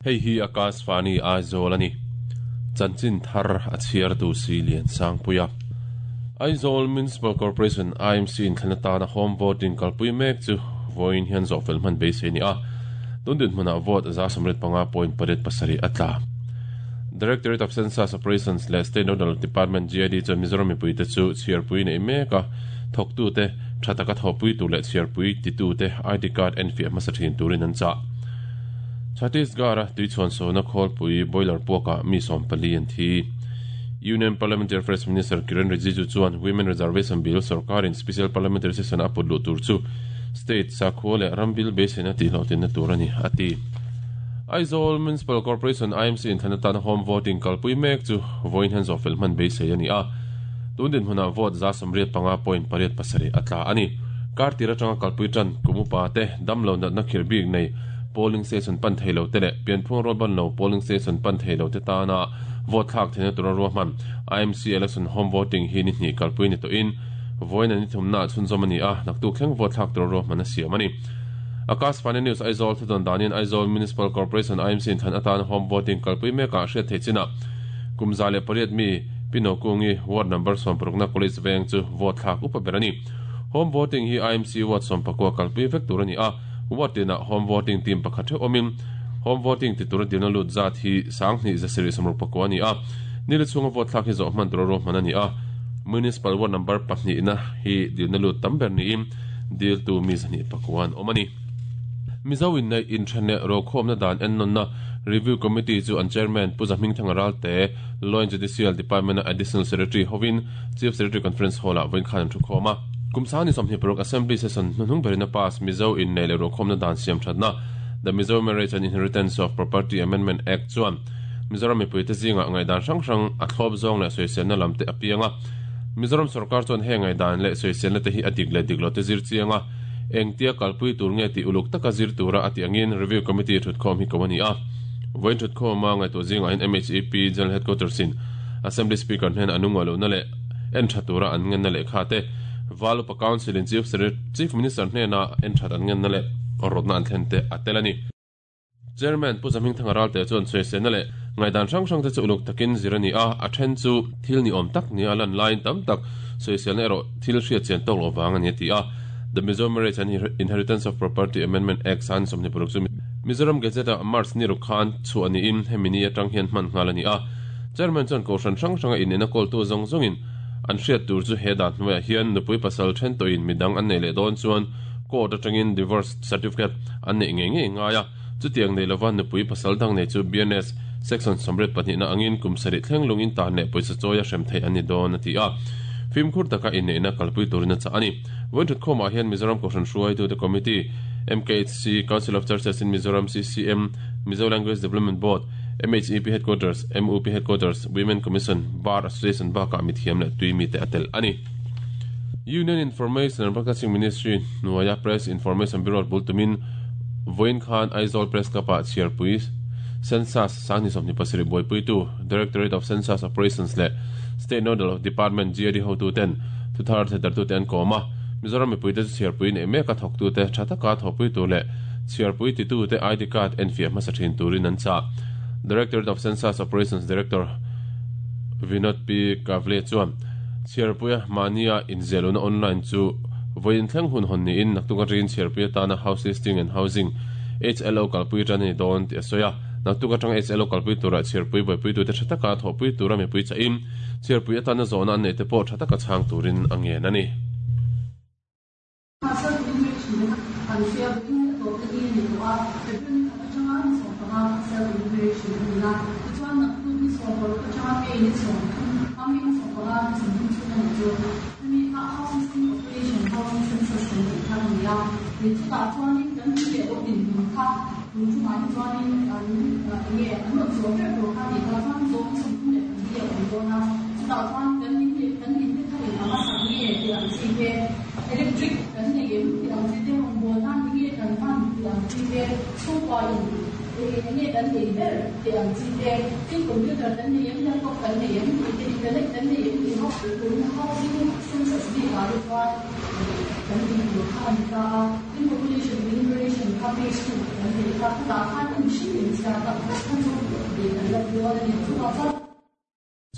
Hei hi Akashvani Aizawl a ni. Chanchin thar a chhiartu si Lian Sangpuia. Aizawl Municipal Corporation, IMC, inthlan atana home voting kalpui mek chu vawiin hian zawhfel hman beisei a ni a. Tun dinhmunah vote 95.87 a tla. Directorate of Census Operations leh State Nodal Department, GID, chuan Mizoram mipuite chu chhiarpui neih mek a, thawktute tha taka thawhpui tur leh chhiarpui titute ID card enfiah hmasa thin turin an chah. Chhattisgarh-a tuichhuansawna khawlpui boiler puakah mi 14 an thi. Union Parliamentary Affairs Minister Kiren Rijiju chuan Women Reservation Bill sorkarin Special Parliamentary Session a put luh tur chu state sakhua leh ram bil beiseina tihhlawhtlinna tur a ni, a ti. Aizawl Municipal Corporation, IMC, inthlan atana home voting kalpui mek chu vawiin hian zawhfel hman beisei a ni a. Tun dinhmunah vote 95.87 a tla a ni. Kar tir atanga kalpui tan kum upa te, damlo natna khirh bik nei polling station pan thei lo te leh pianphung rualban lo polling station pan thei lo te tana vote thlak theihna tura ruahman IMC election home voting hi ni hnih kalpui ni tawhin vawiin a ni thumnaah chhunzawm a ni a, naktuk thleng vote thlak tura ruahman a siam a ni. Akashvani News Aizawl thudawn danin Aizawl Municipal Corporation IMC inthlan atana home voting kalpui mekah hriat theih chinah kum 108 mi Pi Nokungi ward number 16 na College veng chu vote thlak upa ber a ni. Home voting hi IMC ward 14 kalpui vek tur a ni a, ward tinah home voting team pakhat theuh awmin home voting ti tura dilna lut zat hi 2769 a ni a, nili chhunga vote thlak hi zawh hman tura ruahman a ni a. Municipal ward number pahnih na hi dilna lut tam ber niin diltu mi 209 an awm a ni. Mizo inneih inthen leh rokhawmna dan ennawnna Review Committee chu an Chairman Pu Zahmingthanga Ralte, Law and Judicial Department-a Additional Secretary hovin Chief Secretary Conference Hall-ah vawiin khan an thukhawm a. Kum 2026 Assembly Session hnuhnung berin a pass Mizo inneih leh rokhawmna dan siam thatna The Mizo Marriage and Inheritance of Property Amendment Act chuan Mizoram mipuite zingah ngaihdan hrang hrang a thlawp zawng leh sawiselna lam te a piang a. Mizoram sorkar chuan heng ngaihdan leh sawiselna te hi a dik leh dik lo te zir chiang a, engtia kalpui tur nge tih uluk taka zir tura a tih angin Review Committee thutkhawm hi ko a ni a. Vawiin thutkhawma ngaihtuah zingah hian MHEP General Headquarters in Assembly Speaker hnena a nungaih lohna leh en tha tura an ngenna lehkha te, Val Upa Council in Chief Minister hnena en that an ngenna leh rawtna an thlen te a tel a ni. Chairman Pu Zahmingthanga Ralte chuan sawiselna leh ngaihdan hrang hrang te chu uluk takin zir a ni a, a then chu thil ni awm tak nia lan laiin tam tak sawiselna erawh thil hriat chian tawk loh vang a ni a ti a. The Mizo Marriage and Inheritance of Property Amendment Act 2026 chu Mizoram Gazette-ah March ni ruk khan chhuah niin hemi ni atang hian hman nghal a ni a. Chairman chuan kohhran hrang hranga inneihna kawltu zawng zawngin an hriat tur chu he dan hnuaiah hian nupui pasal then tawhin midang an neih leh dawn chuan court atangin divorce certificate an neih ngei ngei ngai a, chutiang nei lova nupui pasal dang nei chu BNS Section 82 na angin kum sarih thleng lung in tan leh pawisa chawi a hrem theih an ni dawn a ti a, fimkhur taka inneihna kalpui turin a chah a ni. Vawiin thutkhawmah hian Mizoram Kohhran Hruaitute Committee, MKHC, Council of Churches in Mizoram, CCM, Mizo Language Development Board, MHEP Headquarters, MUP Headquarters, Women Commission, Bar Association bakah mithiam leh tui mite a telh a ni. Union Information and Broadcasting Ministry hnuaia Press Information Bureau bul tumin vawiin khan Aizawl Press Club-ah chhiarpui Census 2027 buaipuitu Directorate of Census Operations leh State Nodal Department GAD hotuten thuthar thehdartute an kawm a. Mizoram mipuite chu chhiarpui neih meka thawktute tha taka thawhpui tur leh chhiarpui titute ID card enfiah hmasa thin turin an chah. Directorate of Census Operations Director Vinod P. Kavle chuan Chhiarpuia mahnia inziahlohna online chu vawiin thleng hun hawn niin naktuk atangin chhiarpui atana House Listing and Housing, HLO, kalpui tan a ni dawn tih a sawi a. Naktuk atanga HLO kalpui turah chhiarpui buaipuitute tha taka thawhpui tura mipui chahin chhiarpui atana zawhna an neihte pawh tha taka chhang turin a ngen a ni. Mahse enumeration an hria bawkin a tawpna ni a ni tawh a, February ni khat atanga ni 15 kha self enumeration a ni a, tichuan naktuk ni 16 atanga May ni 30 a May ni 15 ni 30 chhung a nih chu hemi kha house listing operation housing census kan tih kha a ni a, ni chutah chuanin kan in leh lo dinhmun kha tun chungah hi chuanin an enge an rawn zawh ber tur kha a ni ta chuan zawng 34 a awm dawn a, chutah chuan kan in leh kan in te kha eng anga sak nge tih ang chi te. Electric kan nei em tih ang chi te, rawngbâwl nan eng nge kan hman tih ang chi te, chhungkua in eng nge kan nei ber tih ang chi te, tin computer kan nei em, laptop kan nei em tih te, internet kan nei em tih ho tun housing census bik ah te chuan kan tih tur kha a ni ta a, tin population enumeration. kha page 2 kan neih kha chutah khan i mihring inchhiar tak tak kha chu dik an la dawn a ni. Chuvang chuan.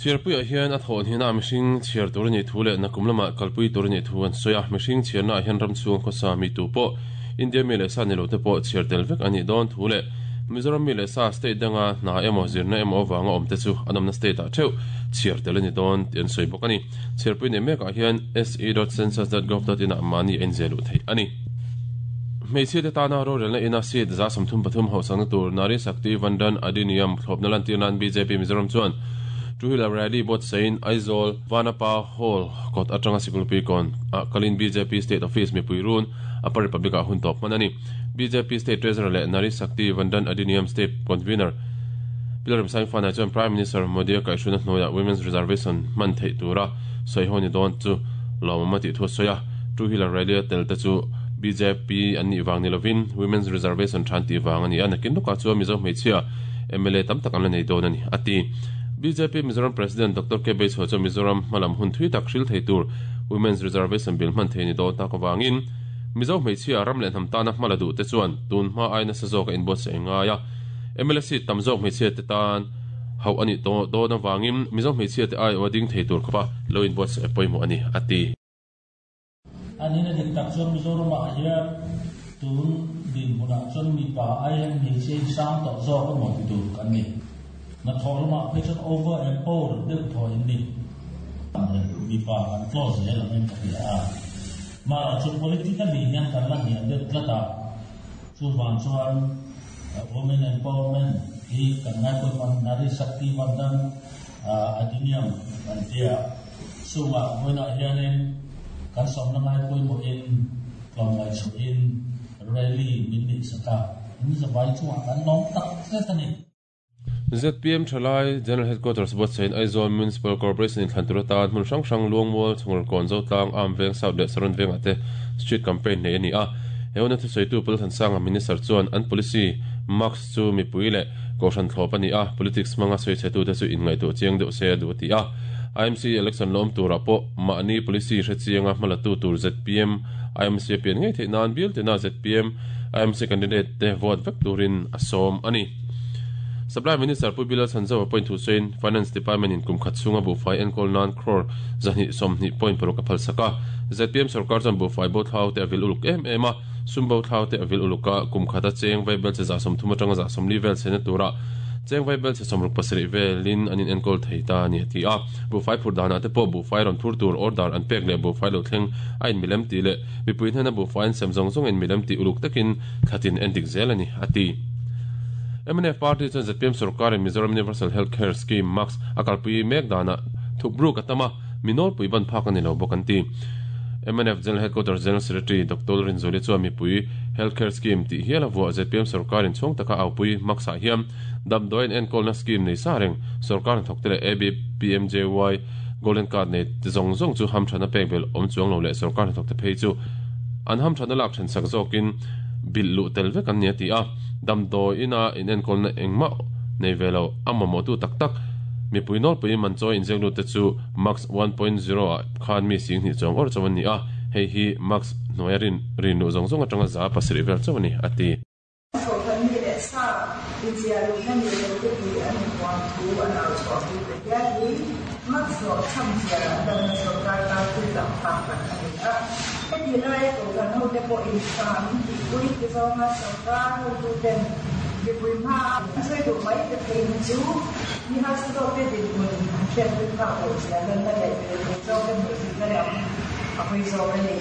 Chhiarpuiah hian a thawh hnihna mihring chhiar tur a nih thu leh nakum lamah kalpui tur a nih thu an sawi a. Mihring chhiarnaah hian ram chhung khawsa mi tu pawh, India mi leh sa ni lote pawh chhiar tel vek a nih dawn thu leh Mizoram mi leh sa state danga hna emaw zirna emaw avanga awmte chu an awmna state ah theuh chhiar tel a ni dawn tih an sawi bawk a ni. Chhiarpui nei mekah hian se dot census dot gov dot in ah mahni a inziah luh theih a ni. Hmeichhiate tana rorelna ina seat 33% hauhsakna tur Nari Shakti Vandan Adhiniyam thlawpna lantir nan bjp Mizoram chuan Two Wheeler Rally buatsahin Aizawl Vanapa Hall kawt atanga Sikulpui kawn ah kalin bjp State Office mipui run Upper Republic ah hun tawp hman a ni. Bjp State Treasurer leh Nari Shakti Vandan Adhiniyam State Convener Pilar Remsaingfana chuan Prime Minister Modi-a kaihhruina hnuaiah Women's Reservation hman theih tura sawi ho ni dawn chu lawmawm a tih thu a sawi a. Two Wheeler Rally-a tel te chu bjp an nih vang ni lovin Women's Reservation tha an tih vang a ni a, nakin lawkah chuan Mizo hmeichhia mla tam tak an la nei dawn a ni, a ti. Bjp Mizoram President Doctor K Beichhua chuan Mizoram hmalam hun thui tak hril thei tur Women's Reservation Bill hman thei ni dawn tak avangin Mizo hmeichhia ram leh hnam tana hma la duh te chuan tun hma ai nasa zawk a inbuatsaih a ngai a. Mla seat tam zawk hmeichhia te tan hauh a nih tawh dawn avangin Mizo hmeichhia te aiawh a ding thei tur khawpa lo inbuatsaih a pawimawh a ni, a ti. A nihna dik tak chuan Mizoramah hian tun dinhmunah chuan mipa ai hian hmeichhia hi sang tawh zawk emaw ti tur kan ni. Hnathawh lamah phei chuan over empowered deuh thaw in ni. Mipa kan tlaw zel angin ka hria a. Mahla chu politically hian kan la hniam deuh tlat a. Chuvang chuan Women Empowerment hi kan ngaipawimawh Nari Shakti Vandan Adhiniyam kan ti a. Chungah vawiinah hianin kan sawmna ngaipawimawhin tlawmngaih chhuahin rally min neihsak a, in zavai chungah kan lawm tak zet a ni. Zpm Thalai General Headquarters buatsahin Aizawl Municipal Corporation inthlan tur atan hmun hrang hrang Luangmual, Chhungrkawn, Zotlang, Am Veng, South leh Saron Vengah te Street Campaign neih a ni a. He huna thusawitu Pu Lalthansanga Minister chuan an policy Marks chu mipui leh Kohhran thlawp a ni a, politics hmanga sawichhetute chu inngaihtuah chiang deuh se a duh a ti a. IMC election lawm turah pawh mahni policy hre chianga hmalatu tur zpm IMC a pian ngei theih nan bial tina zpm IMC candidate te vote vek turin a sawm a ni. Supply Minister Pu Bilal Sanzau a point thu sawiin Finance Department in kum khat chhunga buhfai enkawl nan crore 220.6 a phalsak a. Zpm sorkar chuan buhfai bo thlau te a vil uluk em em a, sum bo thlau te a vil uluk a, kum khata cheng vaibel che 30% atanga 40% vel chhena tura cheng vaibel che 67 velin an in enkawl thei ta a ni a ti a. Buhfai phur danah te pawh buhfai rawn phur tur order an pek leh buhfai lo thleng a inmilem tih leh mipui hnena buhfai an sem zawng zawng inmilem tih uluk takin thlatin endik zel a ni a ti. Mnf party chuan zpm sorkarin Mizoram Universal Health Care Scheme, MACS, a kalpui mek danah thupruk a tam a, mi nawlpui ban phak a ni lo bawk an ti. Mnf General Headquarters General Secretary Doctor Rinzuali chuan mipui Health Care Scheme tih hial a vuah zpm sorkarin chhung taka aupui MACS-ah hian damdawi an enkawlna scheme nei sa reng sorkar hnathawkte leh ABPMJY Golden Card nei te zawng zawng chu hamthatna pek belh awm chuang lo leh sorkar hnathawkte phei chu an hamthatna lak thensak zawkin bilh luh tel vek an ni a ti a. Damdawi ina inenkawlna engmah nei ve lo, a mamawhtu tak tak mipui nawlpui man chawi inziak lut te chu Max 1.0 ah khan mi 20,000 chuang awrh chauh an ni a, hei hi Max hnuaia rin rin luh zawng zawng atanga 7% vel chauh a ni, a ti. Thawhkhat mi leh sa inziah luhna ni lo te tih an inhuam thu an au chhuah pui ta hial hi Max hlawh chham zia an damna sorkar tan thil lang phak tak a ni a. Heti laia kohhran hote pawhin tha min tihpui ti zawnga sorkar hotuten mipui hmaa an sawi duh mai te phei hi chu mi harsa zawkte dinhmun an hriatpui phak loh zia lanna leh mirethei zawkte hmuhsitna lam a hawi zawk a ni.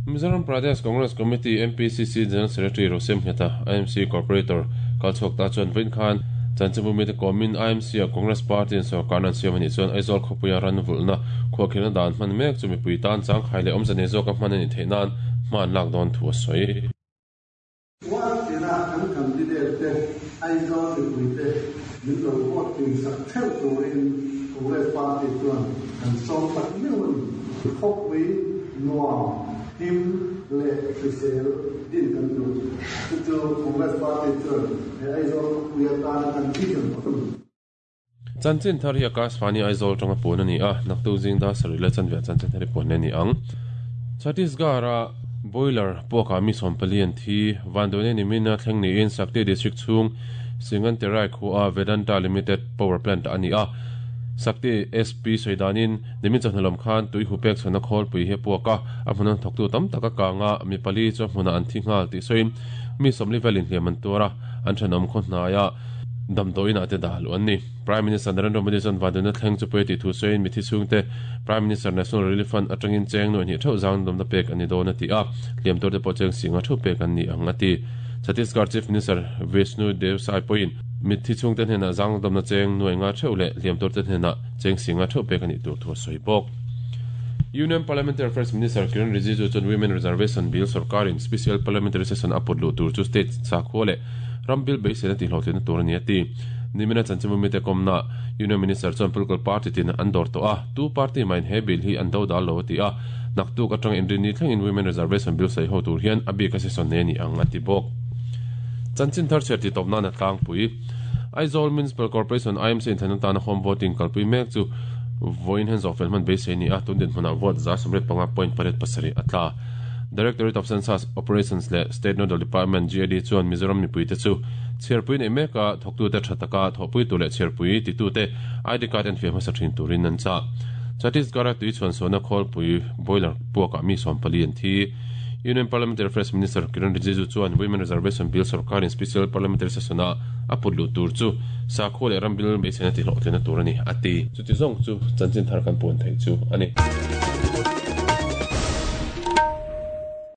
Mizoram Pradesh Congress Committee, MPCC, General Secretary Rosem Ngheta, IMC Corporator kalchhuak ta chuan vawiin khan chanchinbu mite kawmin IMC-ah Congress Party-in sorkarna an siam a nih chuan Aizawl khawpuia ran vulhna khuahkhirhna dan hman mek chu mipui tan changkhai leh awmze nei zawka hman a nih theih nan hma an lak dawn thu a sawi. World tina kan candidate te Aizawl mipuite min lo vote tling sak theuh turin Congress Party chuan kan sawm tak meuh a ni. Khawpui nuam, him leh hrisel din kan duh. Chu chu Congress Party chuan he Aizawl khawpui atana kan vision a ni. Chanchin thar hi Akashvani Aizawl atanga puan a ni a, naktuk zing dar sarih leh chanve ah chanchin thar hi puan leh a ni ang. Chhattisgarh-a. Boiler puakah mi 40 an thi. Vanduaina nimina thleng niin Sakti District chhung Singanterai khua Vedanta Limited Power Plant a ni a. Sakti SP sawi danin nimin chawhnu lam khan tui hu pek chhuahna khawlpui hi a puak a, a hmuna thawktu tam tak a kang a, mi pali chu a hmunah an thi nghal tih sawiin mi 40 velin hliam an tuar a, an thenawm khaw hnaia damdawiin ah te dah luh an ni. Prime Minister Narendra Modi chuan vanduaina thleng chu pawi tih thu sawiin mithi chhungte Prime Minister National Relief Fund atangin cheng nuaih hnih theuh zang dawmna pek an ni dawn a ti a, hliam turte pawh cheng singa theuh pek an ni ang a ti. Chhattisgarh Chief Minister Vishnu Deo Sai pawhin mitthi chhungte hnenah zang dawmna cheng nuaih nga theuh leh hliam turte hnenah cheng singa theuh pek a nih tur thu a sawi bawk. Union Parliamentary Affairs Minister Kiren Rijiju chuan Women Reservation Bill sorkarin Special Parliamentary Session a put luh tur chu state sakhua leh ram bill beiseina tihhlawhtlinna tur a ni a ti. Nimina chanchinbu mite kawmna Union Minister chuan political party tin an dawr tawh a, tu party mahin he bill hi an do dal lo a ti a, naktuk atanga inrinni thlengin Women Reservation Bill sawi ho tur hian a bika session nei a ni ang a ti bawk. Chanchin thar chhiar tih tawp nan a tlangpui. Aizawl Municipal Corporation, IMC, inthlan atana home voting kalpui mek chu vawiin hian zawhfel hman beisei a ni a, tun dinhmunah vote 85.87 a tla. Directorate of Census Operations leh State Nodal Department, GAD, chuan Mizoram mipuite chu chhiarpui neih meka thawktute tha taka thawhpui tur leh chhiarpui titute ID card enfiah hmasa thin turin an chah. Chhattisgarh-a tui chhuansuahna khawlpui boiler puakah mi 40 an thi. Union Parliamentary Affairs Minister Kiren Rijiju chuan Women Reservation Bill sorkarin Special Parliamentary Session-a a put luh tur chu sakhua leh ram bil beiseina tihlawhtlinna tur a ni, a ti. Chuti zawng chu chanchin thar kan puan theih chu a ni.